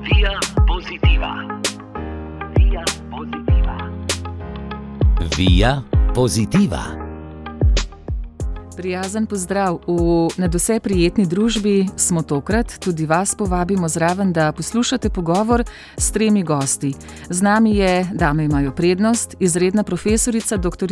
Via Positiva. Via Positiva. Via Positiva. Prijazen pozdrav. V nadvse prijetni družbi smo tokrat, tudi vas povabimo zraven, da poslušate pogovor s 3 gosti. Z nami je, dame imajo prednost, izredna profesorica dr.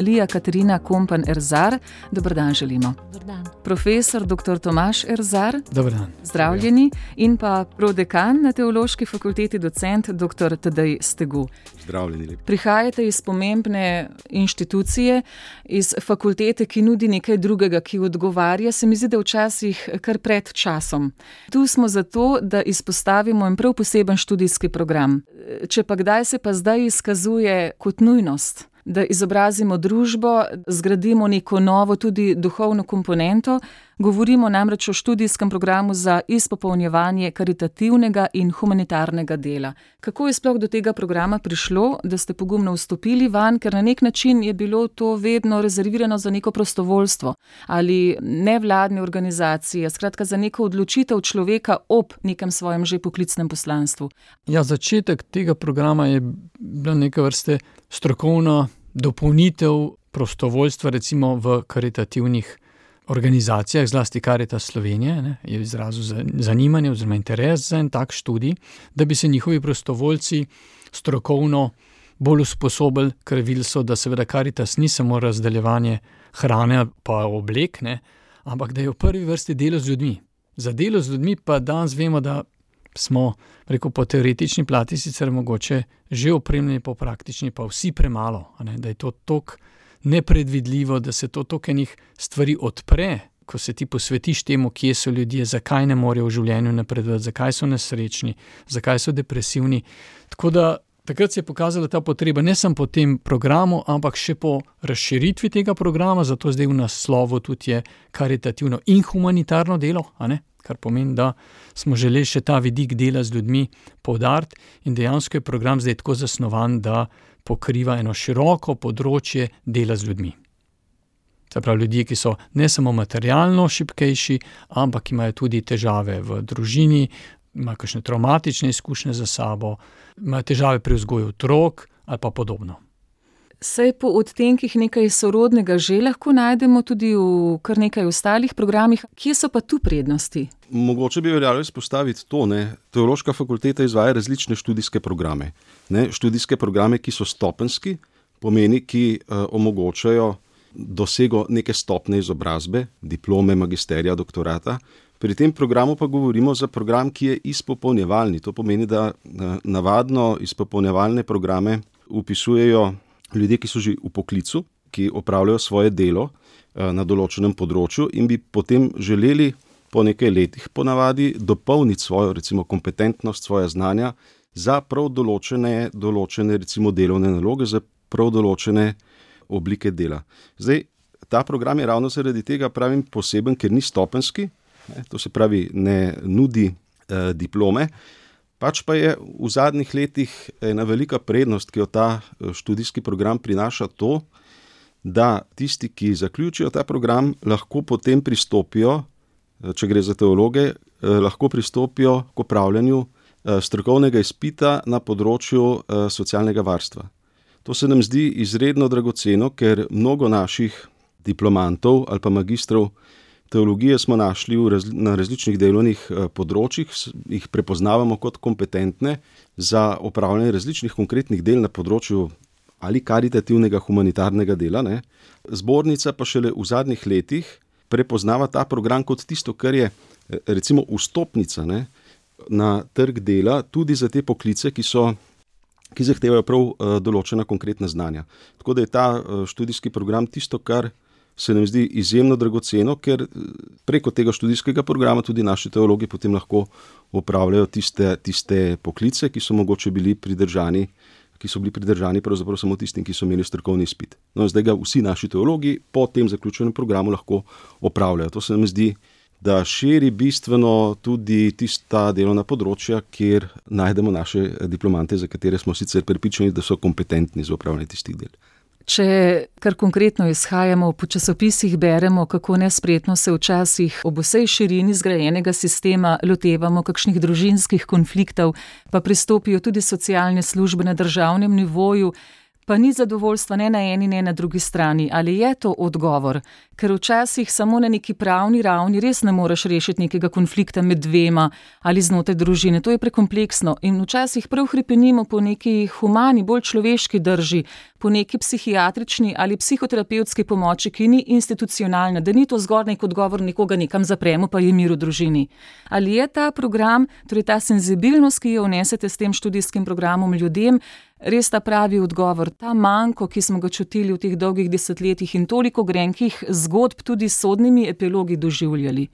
Lija Katarina Kompan-Erzar. Dober dan želimo. Dober dan. Profesor dr. Tomaž Erzar. Dober dan. Zdravljeni. In pa prodekan na Teološki fakulteti, docent dr. Tadej Stegu. Zdravljeni lepo. Prihajate iz pomembne inštitucije, iz fakultete, ki nudi nekaj drugega, ki odgovarja, se mi zdi, da včasih kar pred časom. Tu smo zato, da izpostavimo en prav poseben študijski program. Če pa kdaj se pa zdaj izkazuje kot nujnost, da izobrazimo družbo, zgradimo neko novo tudi duhovno komponento, govorimo namreč o študijskem programu za izpopolnjevanje karitativnega in humanitarnega dela. Kako je sploh do tega programa prišlo, da ste pogumno vstopili vanj, ker na nek način je bilo to vedno rezervirano za neko prostovoljstvo ali nevladne organizacije, skratka za neko odločitev človeka ob nekem svojem že poklicnem poslanstvu? Ja, začetek tega programa je bila neka vrste strokovna dopolnitev prostovoljstva, recimo v karitativnih organizacijah, zlasti Karitas Slovenije, je izrazil zanimanje oziroma interes za en tak študij, da bi se njihovi prostovoljci strokovno bolj usposobili, ker videli so, da seveda Karitas ni samo razdeljevanje hrane pa oblek, ampak da je v prvi vrsti delo z ljudmi. Za delo z ljudmi pa danes vemo, da smo, po teoretični plati sicer mogoče že opremljeni, po praktični pa vsi premalo, da je to toliko nepredvidljivo, da se to toliko enih stvari odpre, ko se ti posvetiš temu, kje so ljudje, zakaj ne morejo v življenju napredovati, zakaj so nesrečni, zakaj so depresivni. Tako da takrat se je pokazala ta potreba ne samo po tem programu, ampak še po razširitvi tega programa, zato zdaj v naslovu tudi je karitativno in humanitarno delo, kar pomeni, da smo želeli še ta vidik dela z ljudmi poudariti in dejansko je program zdaj tako zasnovan, da pokriva eno široko področje dela z ljudmi. Se pravi, ljudje, ki so ne samo materialno šibkejši, ampak imajo tudi težave v družini, imajo kakšne travmatične izkušnje za sabo, imajo težave pri vzgoju otrok ali pa podobno. Saj po odtenkih nekaj sorodnega že lahko najdemo tudi v kar nekaj ostalih programih. Kje so pa tu prednosti? Mogoče bi veljalo izpostaviti to, Teološka fakulteta izvaja različne študijske programe. Študijske programe, ki so stopenjski, pomeni, ki omogočajo dosego neke stopnje izobrazbe, diplome, magisterija, doktorata. Pri tem programu pa govorimo za program, ki je izpopolnjevalni. To pomeni, da navadno izpopolnjevalne programe vpisujejo ljudje, ki so že v poklicu, ki opravljajo svoje delo na določenem področju in bi potem želeli po nekaj letih ponavadi dopolniti svojo recimo kompetentnost, svoja znanja za prav določene recimo delovne naloge, za prav določene oblike dela. Zdaj, ta program je ravno zaradi tega pravim poseben, ker ni stopenjski, to se pravi ne nudi diplome, pač pa je v zadnjih letih ena velika prednost, ki jo ta študijski program prinaša to, da tisti, ki zaključijo ta program, lahko potem pristopijo, če gre za teologe, lahko pristopijo k opravljanju strokovnega izpita na področju socialnega varstva. To se nam zdi izredno dragoceno, ker mnogo naših diplomantov ali pa magistrov teologije smo našli na različnih delovnih področjih, jih prepoznavamo kot kompetentne za opravljanje različnih konkretnih del na področju ali karitativnega humanitarnega dela. Zbornica pa šele v zadnjih letih prepoznava ta program kot tisto, kar je recimo vstopnica na trg dela tudi za te poklice, ki zahtevajo prav določena konkretna znanja. Tako da je ta študijski program tisto, kar se nam zdi izjemno dragoceno, ker preko tega študijskega programa tudi naši teologi potem lahko opravljajo tiste poklice, ki so mogoče bili pridržani pravzaprav samo tistim, ki so imeli strokovni izpit. Zdaj ga vsi naši teologi po tem zaključenem programu lahko opravljajo. To se nam zdi, da širi bistveno tudi tista delovna področja, kjer najdemo naše diplomante, za katere smo sicer prepričani, da so kompetentni za opravljanje tistih del. Če kar konkretno izhajamo, po časopisih beremo, kako nespretno se včasih ob vsej širini zgrajenega sistema lotevamo kakšnih družinskih konfliktov, pa pristopijo tudi socialne službe na državnem nivoju, pa ni zadovoljstva ne na eni, ne na drugi strani. Ali je to odgovor? Ker včasih samo na neki pravni ravni res ne moreš rešiti nekega konflikta med dvema ali znotraj družine. To je prekompleksno in včasih prav hrepenimo po neki humani, bolj človeški drži, po neki psihiatrični ali psihoterapevtski pomoči, ki ni institucionalna, da ni to zgolj nek odgovor, nekoga nekam zapremo, pa je mir v družini. Ali je ta program, torej ta senzibilnost, ki jo vnesete s tem študijskim programom ljudem, res ta pravi odgovor, ta manko, ki smo ga čutili v teh dolgih desetletjih in toliko grenkih zgodb tudi s sodnimi epilogi doživljali?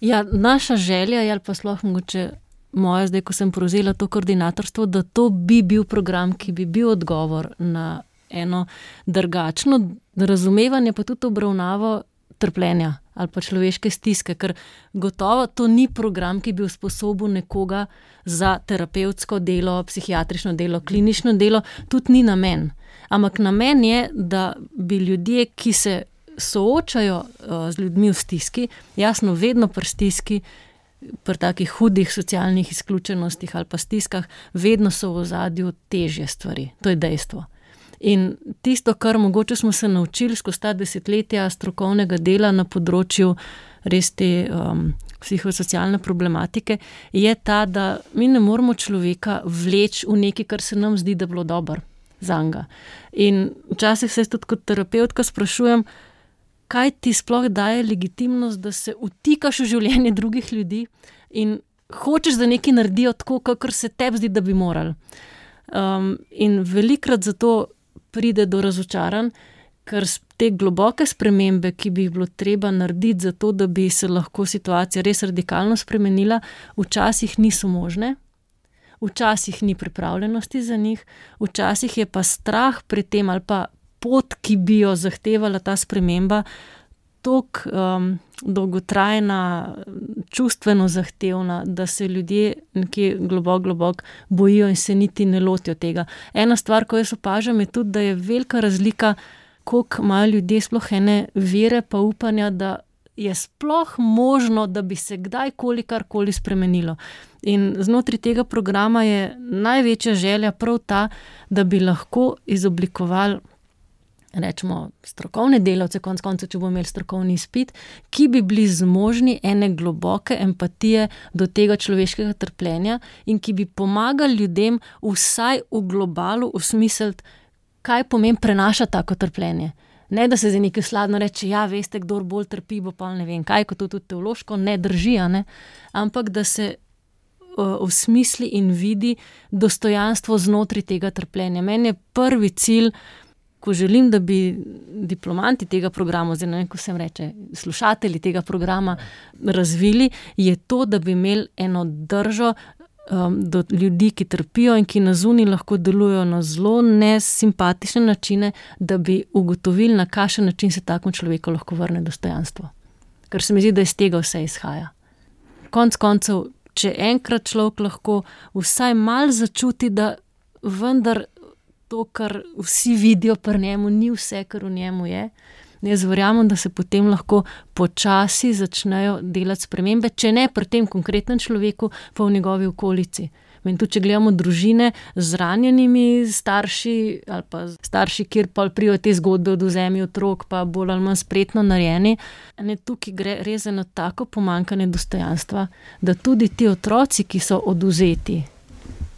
Ja, naša želja je, ali pa sploh mogoče moja, zdaj, ko sem prevzela to koordinatorstvo, da to bi bil program, ki bi bil odgovor na eno drugačno razumevanje, pa tudi obravnavo trpljenja ali pa človeške stiske, ker gotovo to ni program, ki bi usposobil nekoga za terapevtsko delo, psihiatrično delo, klinično delo, tudi ni namen. Ampak namen je, da bi ljudje, ki se soočajo z ljudmi v stiski, jasno vedno pri stiski, pri takih hudih socialnih izključenostih ali pa stiskah, vedno so v ozadju težje stvari. To je dejstvo. In tisto, kar mogoče smo se naučili skozi ta desetletja strokovnega dela na področju res te psihosocialne problematike, je ta, da mi ne moramo človeka vleči v nekaj, kar se nam zdi, da bilo dobro zanj. In včasih se tudi kot terapevtka sprašujem, kaj ti sploh daje legitimnost, da se vtikaš v življenje drugih ljudi in hočeš, da nekaj naredijo tako, kakor se tebi zdi, da bi morali. In velikrat zato pride do razočaranj, ker te globoke spremembe, ki bi jih bilo treba narediti za to, da bi se lahko situacija res radikalno spremenila, včasih niso možne, včasih ni pripravljenosti za njih, včasih je pa strah pri tem ali pa pot, ki bi jo zahtevala ta sprememba, toliko dolgotrajna, čustveno zahtevna, da se ljudje nekje globoko bojijo in se niti ne lotijo tega. Ena stvar, ko jaz opažam, je tudi, da je velika razlika, koliko imajo ljudje sploh ene vere pa upanja, da je sploh možno, da bi se kdajkoli karkoli spremenilo. In znotraj tega programa je največja želja prav ta, da bi lahko izoblikovali rečemo strokovne delavce, konec koncev, če bomo imeli strokovni izpit, ki bi bili zmožni ene globoke empatije do tega človeškega trpljenja in ki bi pomagali ljudem vsaj v globalu osmisliti, kaj pomeni prenaša tako trpljenje. Ne, da se za nekaj sladno reče, ja, veste, kdor bolj trpi, bo pa ne vem kaj, kot to tudi teološko ne drži, ne? Ampak da se osmisli in vidi dostojanstvo znotraj tega trpljenja. Meni je prvi cilj, ko želim, da bi diplomanti tega programa, oziroma ko sem reče, slušatelji tega programa razvili, je to, da bi imeli eno držo do ljudi, ki trpijo in ki na zunaj lahko delujejo na zelo nesimpatične načine, da bi ugotovili, na kakšen način se takemu človeku lahko vrne dostojanstvo. Ker se mi zdi, da iz tega vse izhaja. Konec koncev, če enkrat človek lahko vsaj malo začuti, da vendar to, kar vsi vidijo pri njemu, ni vse, kar v njemu je. Jaz verjamem, da se potem lahko počasi začnejo delati spremembe, če ne pri tem konkretnem človeku, pa v njegovi okolici. In tudi, če gledamo družine z ranjenimi starši ali pa starši, kjer pa prijo te zgodbe od vzemi otrok, pa bolj ali manj spretno narejeni, tukaj gre res za eno tako pomanjkanje dostojanstva, da tudi ti otroci, ki so odvzeti,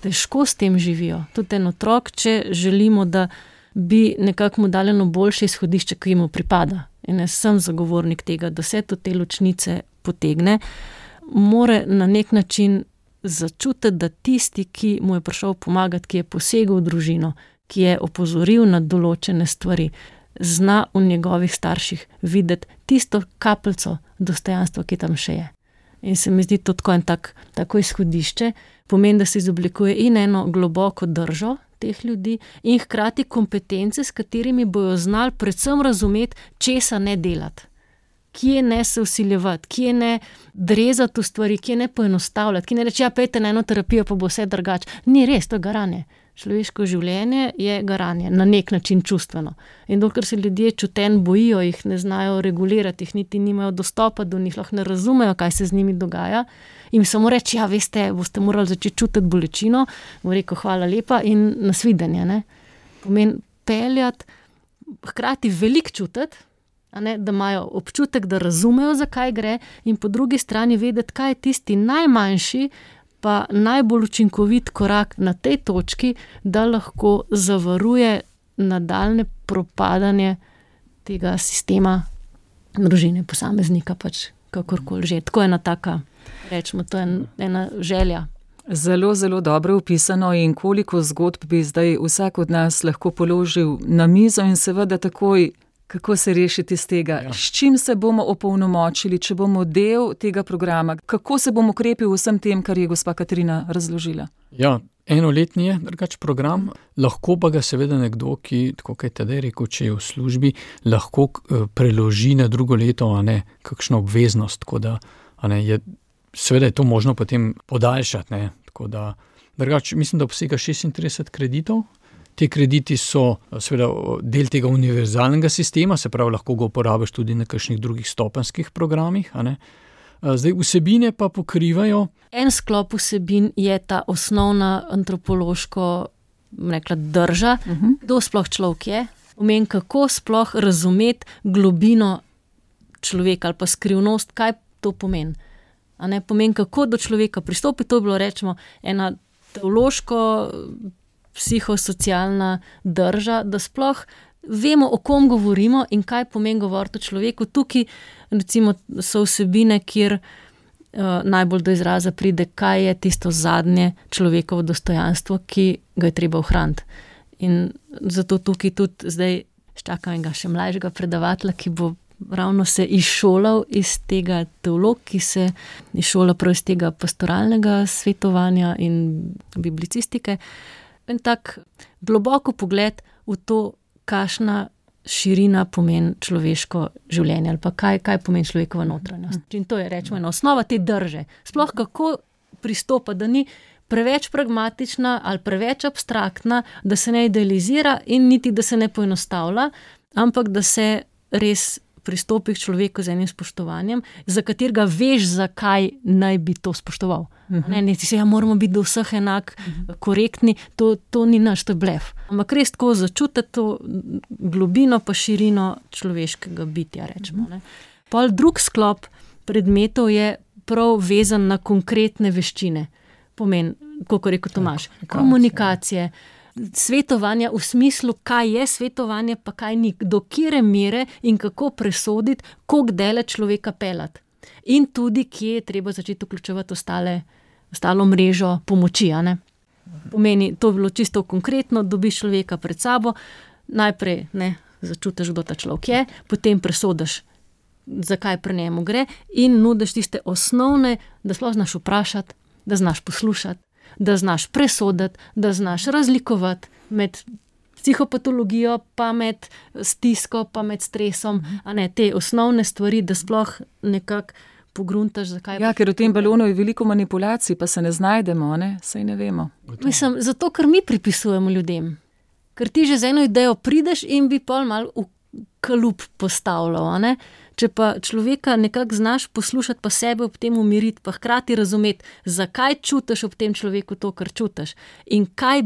težko s tem živijo. Tudi en otrok, če želimo, da bi nekako mu dali eno boljše izhodišče, ki mu pripada. In jaz sem zagovornik tega, da se to te ločnice potegne, mora na nek način začutiti, da tisti, ki mu je prišel pomagati, ki je posegel v družino, ki je opozoril na določene stvari, zna v njegovih starših videti tisto kapljico dostojanstva, ki tam še je. In se mi zdi to tako izhodišče, pomeni, da se izoblikuje in eno globoko držo teh ljudi in hkrati kompetence, s katerimi bojo znali predvsem razumeti, česa ne delati. kje ne se vsiljevati, kje ne drezati v stvari, kje ne poenostavljati, kje ne reči, pejte na eno terapijo, pa bo vse drugače. Ni res, to je garanje. Človeško življenje je garanje, na nek način čustveno. In dokler se ljudje čutenj bojijo, jih ne znajo regulirati, jih niti nimajo dostopa do njih, lahko ne razumejo, kaj se z njimi dogaja, jim samo reči, veste, boste morali začeti čutiti bolečino, bom rekel, hvala lepa in nasvidenje, ne. Pomeni peljati, hkrati veliko čutiti, da imajo občutek, da razumejo, zakaj gre, in po drugi strani vedeti, kaj je tisti najmanjši, pa najbolj učinkovit korak na tej točki, da lahko zavaruje nadaljne propadanje tega sistema družine, posameznika, pač kakorkoli že. Tako je ena taka, rečemo, to je ena želja. Zelo, zelo dobro opisano in koliko zgodb bi zdaj vsak od nas lahko položil na mizo in seveda takoj, kako se rešiti iz tega, s čim se bomo opolnomočili, če bomo del tega programa, kako se bomo ukrepili v vsem tem, kar je gospa Katarina razložila. Ja, enoletni je drugač program, lahko pa ga seveda nekdo, ki, tako kaj Tadej rekel, če je v službi, lahko preloži na drugo leto, kakšno obveznost, tako da, seveda je to možno potem podaljšati, tako da, drugač, mislim, da obsega 36 kreditov. Te krediti so seveda del tega univerzalnega sistema, se pravi, lahko ga uporabiš tudi na kakšnih drugih stopenjskih programih, Zdaj, vsebine pa pokrivajo. En sklop vsebin je ta osnovna antropološko, rekla, drža, kdo sploh človek je, pomeni, kako sploh razumeti globino človeka ali pa skrivnost, kaj to pomeni. Pomeni, kako do človeka pristopi, to je bilo, rečemo, ena teološko psihosocialna drža, da sploh vemo, o kom govorimo in kaj pomeni govoriti o človeku. Tukaj recimo so vsebine, kjer najbolj do izraza pride, kaj je tisto zadnje človekovo dostojanstvo, ki ga je treba ohraniti. In zato tukaj tudi zdaj čakam enega še mlajšega predavatelja, ki bo ravno se izšolal iz tega teolog, ki se izšola prav iz tega pastoralnega svetovanja in biblicistike. En tak globoko pogled v to, kakšna širina pomeni človeško življenje ali pa kaj pomeni človekova notranjost. In to je, rečemo, ena osnova te drže. Sploh kako pristopa, da ni preveč pragmatična ali preveč abstraktna, da se ne idealizira in niti, da se ne poenostavlja, ampak da se res pristopi k človeku z enim spoštovanjem, za katerega veš, zakaj naj bi to spoštoval. Ne ti se, moramo biti do vseh enak korektni, to ni naš, to je blef. Ampak res tako začutiti to globino pa širino človeškega bitja, rečemo. Pol drug sklop predmetov je prav vezan na konkretne veščine. Pomeni, kako rekel Tomaž, komunikacije, svetovanja v smislu, kaj je svetovanje, pa kaj ni, do kjere mere in kako presoditi, koliko dele človeka peljati. In tudi, kje je treba začeti vključevati ostalo mrežo pomoči. Pomeni, to je bilo čisto konkretno, dobiš človeka pred sabo, najprej začutiš, kdo ta človek je, potem presodiš, zakaj pri njemu gre in nudiš tiste osnovne, da sploh znaš vprašati, da znaš poslušati, da znaš presoditi, da znaš razlikovati med psihopatologijo, pa med stisko, pa med stresom, te osnovne stvari, da sploh nekako pogruntaš, zakaj. Ja, ker v tem balonu je veliko manipulacij, pa se ne znajdemo, saj ne vemo. Mislim, zato, ker mi pripisujemo ljudem. Ker ti že z eno idejo prideš in bi pol malo v kalup postavljal, Če pa človeka nekako znaš poslušati, pa sebe ob tem umiriti, pa hkrati razumeti, zakaj čutiš ob tem človeku to, kar čutiš in kaj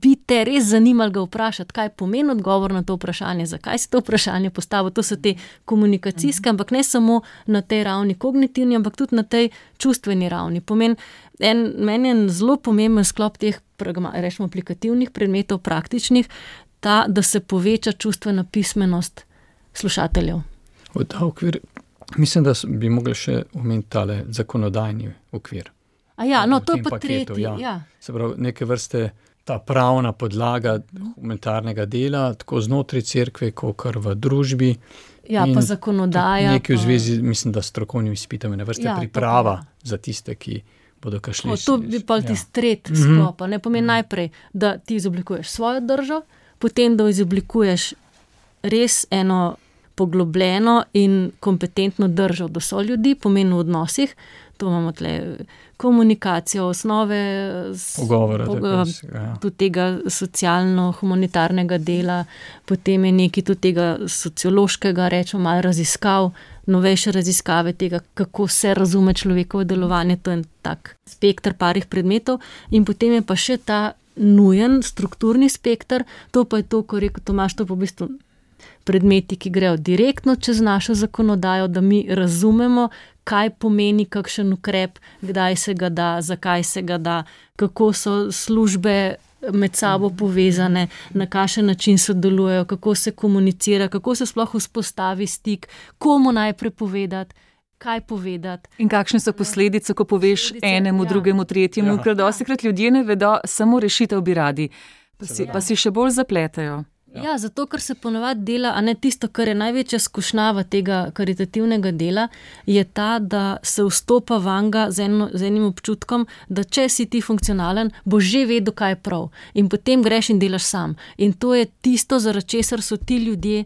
bi te res zanimalo ga vprašati, kaj pomeni odgovor na to vprašanje, zakaj si to vprašanje postavil, to so te komunikacijske, ampak ne samo na tej ravni kognitivni, ampak tudi na tej čustveni ravni. Meni je zelo pomemben sklop teh, rečemo, aplikativnih predmetov, praktičnih, da se poveča čustvena pismenost slušateljev. V ta okvir, mislim, da bi mogli še omeniti tale zakonodajni okvir. To je pa tretji. Se pravi, neke vrste ta pravna podlaga humanitarnega dela, tako znotraj cerkve, kakor v družbi. Pa zakonodaja. Nekaj v zvezi, mislim, da s strokovnimi izpitami, priprava za tiste, ki bodo kašli. To bi pa tisti tretji sklop. Pomeni najprej, da ti izoblikuješ svojo držo, potem, da izoblikuješ res eno poglobljeno in kompetentno držo do soljudi, pomeni v odnosih. To imamo tle komunikacijo, osnove tudi tega socialno-humanitarnega dela, potem je nekaj tudi tega sociološkega, rečemo malo raziskav, novejše raziskave tega, kako se razume človekovo delovanje, to je tak spekter parih predmetov in potem je pa še ta nujen strukturni spekter, to pa je to, ko rekel Tomaž, to pa v bistvu predmeti, ki grejo direktno čez našo zakonodajo, da mi razumemo, kaj pomeni kakšen ukrep, kdaj se ga da, zakaj se ga da, kako so službe med sabo povezane, na kakšen način sodelujejo, kako se komunicira, kako se sploh vzpostavi stik, komu najprej povedati, kaj povedati. In kakšne so posledice, ko poveš enemu, drugemu, tretjemu, ker dostikrat ljudje ne vedo, samo rešitev bi radi, pa si še bolj zapletajo. Ja, zato, ker se ponovadi dela, a ne tisto, kar je največja skušnjava tega karitativnega dela, je ta, da se vstopa vanga z enim občutkom, da če si ti funkcionalen, boš že vedel, kaj je prav. In potem greš in delaš sam. In to je tisto, zaradi česar so ti ljudje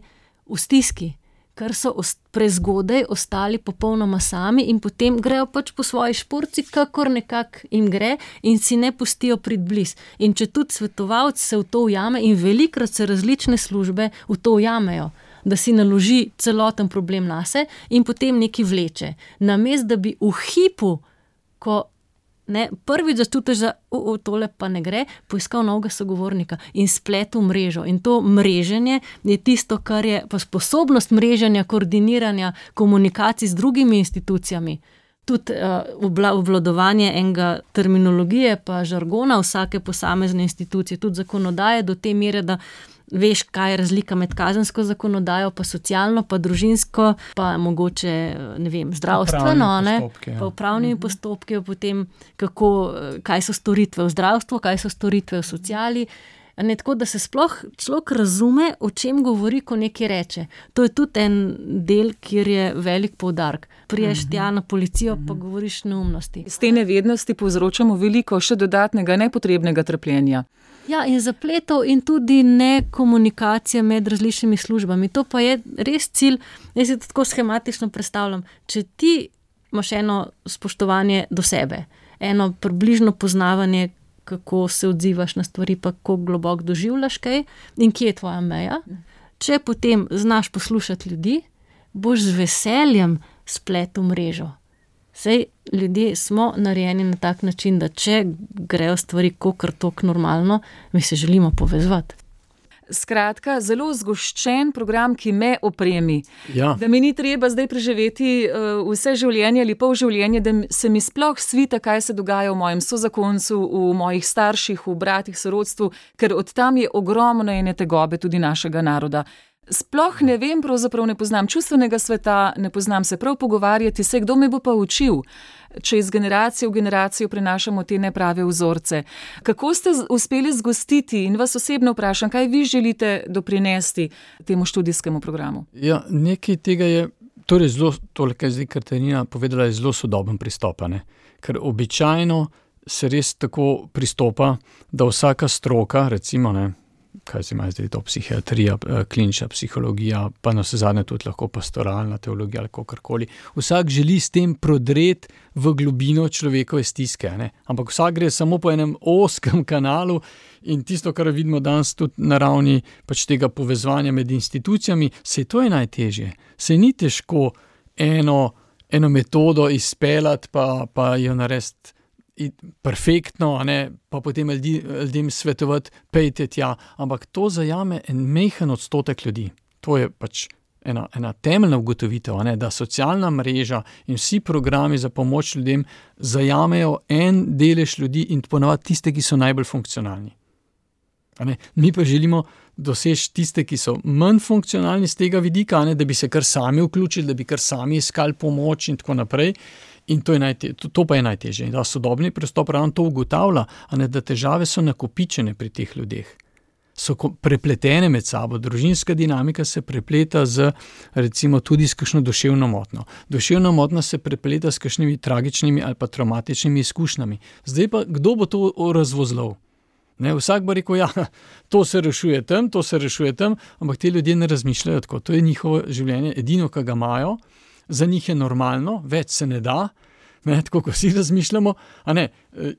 v stiski, ker so prezgodaj ostali popolnoma sami in potem grejo pač po svoji šporci, kakor nekako jim gre in si ne pustijo priti bliz. In če tudi svetovalec se v to ujame in velikrat se različne službe v to ujamejo, da si naloži celoten problem nase in potem neki vleče. Namesto da bi v hipu, ko prvič začutiš, da tole pa ne gre, poiskal novega sogovornika in spletel mrežo. In to mreženje je tisto, kar je pa sposobnost mreženja, koordiniranja, komunikacij z drugimi institucijami. Tudi obvladovanje enega terminologije pa žargona vsake posamezne institucije, tudi zakonodaje do te mere, da veš, kaj je razlika med kazensko zakonodajo, pa socialno, pa družinsko, pa mogoče, ne vem, zdravstveno, pa upravnimi postopki, potem kaj so storitve v zdravstvu, kaj so storitve v sociali. Tako da se sploh človek razume, o čem govori, ko nekaj reče. To je tudi en del, kjer je velik poudarek. Priješ tja na policijo, pa govoriš neumnosti. Z te nevednosti povzročamo veliko še dodatnega nepotrebnega trpljenja. Ja, in zapletov in tudi nekomunikacija med različnimi službami. To pa je res cilj, jaz se tako schematično predstavljam. Če ti imaš eno spoštovanje do sebe, eno približno poznavanje, kako se odzivaš na stvari, pa kako globoko doživljaš kaj in kje je tvoja meja. Če potem znaš poslušati ljudi, boš z veseljem spletel mrežo. Sej ljudje smo narejeni na tak način, da če grejo stvari kakor tok normalno, mi se želimo povezovati. Skratka, zelo zgoščen program, ki me opremi. Ja. Da mi ni treba zdaj preživeti vse življenje ali pol življenje, da se mi sploh svita, kaj se dogaja v mojem sozakoncu, v mojih starših, v bratih, sorodstvu, ker od tam je ogromno ene tegobe tudi našega naroda. Sploh ne vem, pravzaprav ne poznam čustvenega sveta, ne poznam se prav pogovarjati, se kdo me bo pa učil, če iz generacije v generacijo prenašamo te neprave vzorce. Kako ste uspeli zgostiti in vas osebno vprašam, kaj vi želite doprinesti temu študijskemu programu? Ja, nekaj tega je, torej zelo, tole, kaj zdaj Katarina povedala, je zelo sodoben pristop, ne? Ker običajno se res tako pristopa, da vsaka stroka, recimo, kaj se ima zdaj to, psihiatrija, klinična psihologija, pa navsezadnje tudi lahko pastoralna teologija ali kakorkoli. Vsak želi s tem prodreti v globino človekove stiske, ne? Ampak vsak gre samo po enem ozkem kanalu in tisto, kar vidimo danes tudi na ravni pač tega povezovanja med institucijami, to je najtežje. Se ni težko eno metodo izpeljati, pa jo narediti perfektno, pa potem ljudem svetovati, pejte tja, ampak to zajame en majhen odstotek ljudi. To je pač ena temeljna ugotovitev, da socialna mreža in vsi programi za pomoč ljudem zajamejo en delež ljudi in ponavadi tiste, ki so najbolj funkcionalni. Mi pa želimo doseči tiste, ki so manj funkcionalni z tega vidika, da bi se kar sami vključili, da bi kar sami iskali pomoč in tako naprej. In to pa je najtežje. In da sodobni pristop ravno to ugotavlja, da težave so nakopičene pri teh ljudeh. So prepletene med sabo. Družinska dinamika se prepleta z, recimo, tudi s kakšno duševno motnjo. Duševna motnja se prepleta s kakšnimi tragičnimi ali pa traumatičnimi izkušnjami. Zdaj pa, kdo bo to razvozlal? Ne, vsak bo rekel, ja, to se rešuje tam, ampak ti ljudje ne razmišljajo tako. To je njihovo življenje, edino, kar ga imajo, za njih je normalno, več se ne da, ne, tako kot vsi razmišljamo, a ne,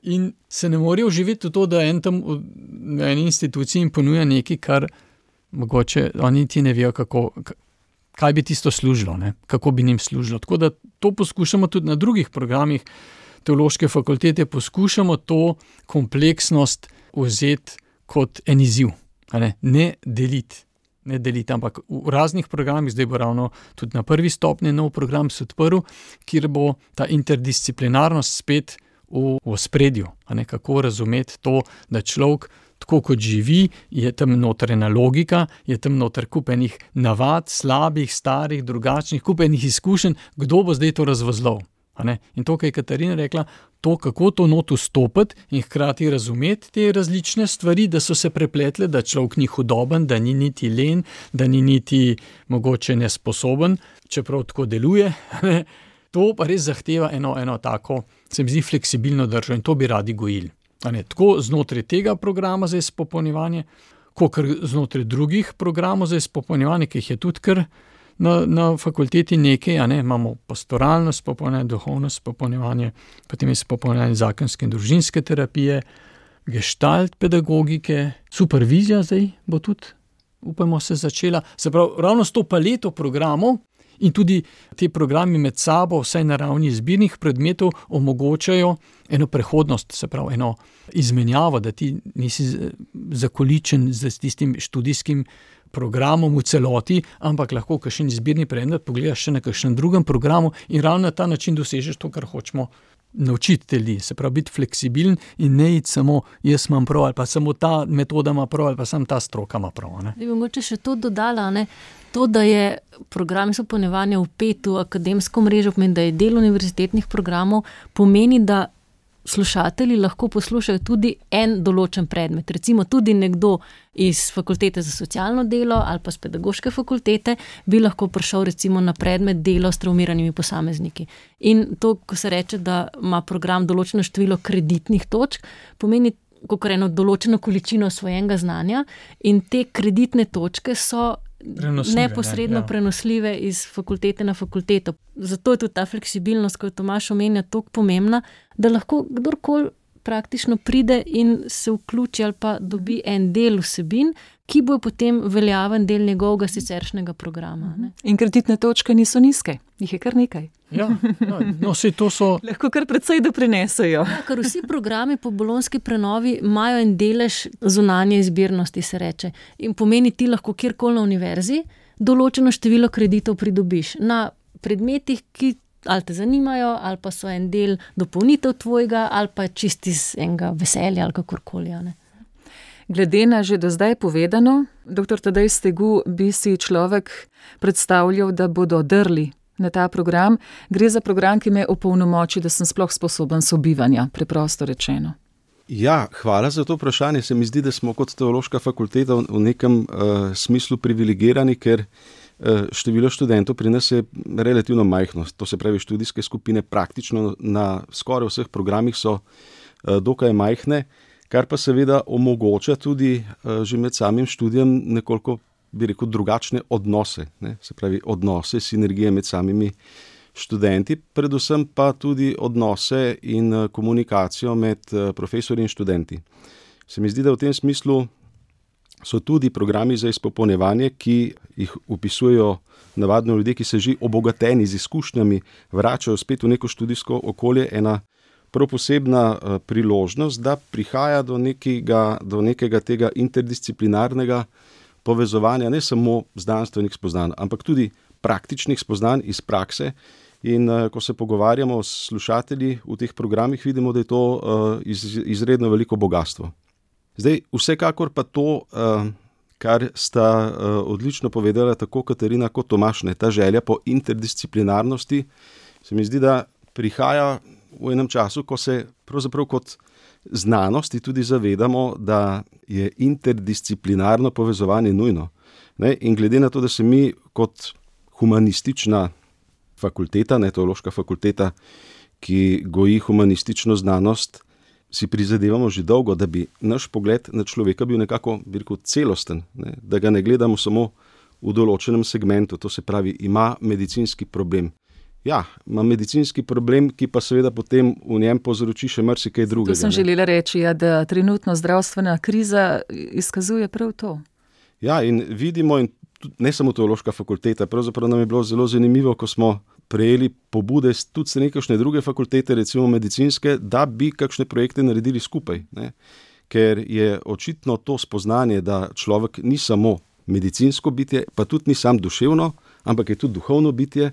in se ne morejo živeti v to, da en tam v eni instituciji jim ponuja nekaj, kar mogoče oni ti ne vejo, kaj bi tisto služilo, ne, kako bi njim služilo. Tako da to poskušamo tudi na drugih programih teološke fakultete, poskušamo to kompleksnost vzeti kot en izziv, ne deliti, ampak v raznih programih, zdaj bo ravno tudi na prvi stopnji nov program se odprl, kjer bo ta interdisciplinarnost spet v ospredju, kako razumeti to, da človek tako kot živi, je tam noter ena logika, je tam noter kup enih navad, slabih, starih, drugačnih, kup enih izkušenj, kdo bo zdaj to razvozlal. In to, kar je Katarina rekla, to, kako to not vstopiti in hkrati razumeti te različne stvari, da so se prepletle, da človek ni hudoben, da ni niti len, da ni niti mogoče nesposoben, čeprav tako deluje. To pa res zahteva eno tako, se mi zdi, fleksibilno držo in to bi radi gojili. Tako znotraj tega programa za izpopolnjevanje, kot znotraj drugih programov za izpopolnjevanje, ki jih je tudi kar na fakulteti nekaj, imamo pastoralno izpopolnjevanje, duhovno izpopolnjevanje, potem izpopolnjevanje zakonske in družinske terapije, gestalt pedagogike, supervizija zdaj bo tudi, upamo, se začela. Se pravi, ravno s to paleto programov in tudi te programi med sabo, vsaj na ravni izbirnih predmetov, omogočajo eno prehodnost, se pravi, eno izmenjavo, da ti nisi zakoličen s tistim študijskim programom v celoti, ampak lahko kakšen izbirni predmet pogledaš še na kakšnem drugem programu in ravno na ta način dosežeš to, kar hočemo naučiti te ljudi. Se pravi, biti fleksibilen in ne iti samo jaz imam prav, ali pa samo ta metoda ima prav, ali pa samo ta stroka ima prav. Bi mogoče še to dodala, to, da je program izpopolnjevanja vpet v akademsko mrežo, pomeni, da je del univerzitetnih programov, pomeni, da slušatelji lahko poslušajo tudi en določen predmet. Recimo tudi nekdo iz fakultete za socialno delo ali pa z pedagoške fakultete bi lahko prišel recimo na predmet delo s travmiranimi posamezniki. In to, ko se reče, da ima program določeno število kreditnih točk, pomeni kakor eno določeno količino svojenega znanja in te kreditne točke so neposredno prenosljive iz fakultete na fakulteto. Zato je tudi ta fleksibilnost, ko je Tomaž omenja, toliko pomembna, da lahko kdorkoli praktično pride in se vključi ali pa dobi en del vsebin, ki bo potem veljaven del njegovega siceršnjega programa. In kreditne točke niso nizke, jih je kar nekaj. Saj to so... Lahko kar precej doprinesejo. Ker vsi programi po bolonjski prenovi imajo en delež zunanje izbirnosti, se reče. In pomeni, ti lahko kjerkoli na univerzi določeno število kreditov pridobiš na predmetih, ki ali te zanimajo, ali pa so en del dopolnitev tvojega, ali pa čisti iz enega veselja, ali kakorkoli. Glede na že do zdaj povedano, dr. Tadej Stegu, bi si človek predstavljal, da bodo drli na ta program. Gre za program, ki me opolnomoči, da sem sploh sposoben sobivanja, preprosto rečeno. Ja, hvala za to vprašanje. Se mi zdi, da smo kot teološka fakulteta v nekem smislu privilegirani, ker število študentov pri nas je relativno majhno. To se pravi, študijske skupine praktično na skoraj vseh programih so dokaj majhne, kar pa seveda omogoča tudi že med samim študijem nekoliko, bi rekel, drugačne odnose. Se pravi, odnose, sinergije med samimi študenti, predvsem pa tudi odnose in komunikacijo med profesorji in študenti. Se mi zdi, da v tem smislu so tudi programi za izpopolnjevanje, ki jih upisujejo navadno ljudje, ki se že obogateni z izkušnjami vračajo spet v neko študijsko okolje, ena prav posebna priložnost, da prihaja do nekega tega interdisciplinarnega povezovanja, ne samo znanstvenih spoznanj, ampak tudi praktičnih spoznanj iz prakse. In ko se pogovarjamo s slušatelji v teh programih, vidimo, da je to izredno veliko bogatstvo. Zdaj, vsekakor pa to, kar sta odlično povedala tako Katarina kot Tomaž, ta želja po interdisciplinarnosti, se mi zdi, da prihaja v enem času, ko se pravzaprav kot znanosti tudi zavedamo, da je interdisciplinarno povezovanje nujno. In glede na to, da se mi kot humanistična fakulteta, teološka fakulteta, ki goji humanistično znanost, si prizadevamo že dolgo, da bi naš pogled na človeka bil nekako, bi rekel, celosten, ne? Da ga ne gledamo samo v določenem segmentu, to se pravi, ima medicinski problem. Ja, ima medicinski problem, ki pa seveda potem v njem povzroči še marsikaj drugega. To sem želela reči, da trenutno zdravstvena kriza izkazuje prav to. Ja, in vidimo, in ne samo teološka fakulteta, pravzaprav nam je bilo zelo zanimivo, ko smo prejeli pobude tudi s nekakšne druge fakultete, recimo medicinske, da bi kakšne projekte naredili skupaj, ne? Ker je očitno to spoznanje, da človek ni samo medicinsko bitje, pa tudi ni sam duševno, ampak je tudi duhovno bitje,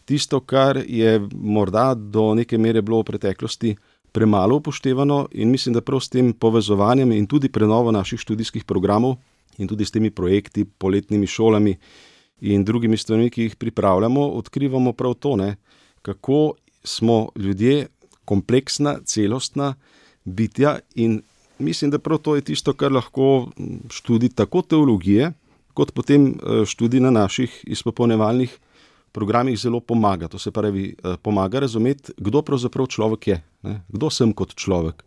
tisto, kar je morda do neke mere bilo v preteklosti premalo upoštevano, in mislim, da prav s tem povezovanjem in tudi prenovo naših študijskih programov in tudi s temi projekti, poletnimi šolami in drugimi stvarmi, ki jih pripravljamo, odkrivamo prav to, ne, kako smo ljudje kompleksna, celostna bitja, in mislim, da prav to je tisto, kar lahko študij tako teologije, kot potem študij na naših izpopolnjevalnih programih zelo pomaga. To se pravi, pomaga razumeti, kdo pravzaprav človek je, ne? Kdo sem kot človek.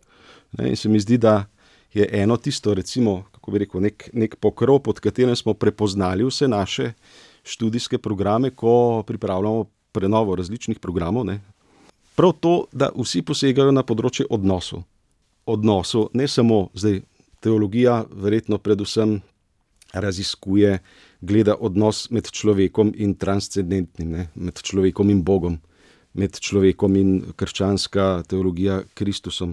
Ne? In se mi zdi, da je eno tisto, recimo, kako bi rekel, nek pokrov, pod katerim smo prepoznali vse naše študijske programe, ko pripravljamo prenovo različnih programov, ne? Prav to, da vsi posegajo na področje odnosov. Odnosov, ne samo zdaj teologija, verjetno predvsem raziskuje, gleda odnos med človekom in transcendentnim, ne? Med človekom in Bogom, med človekom in krščanska teologija Kristusom,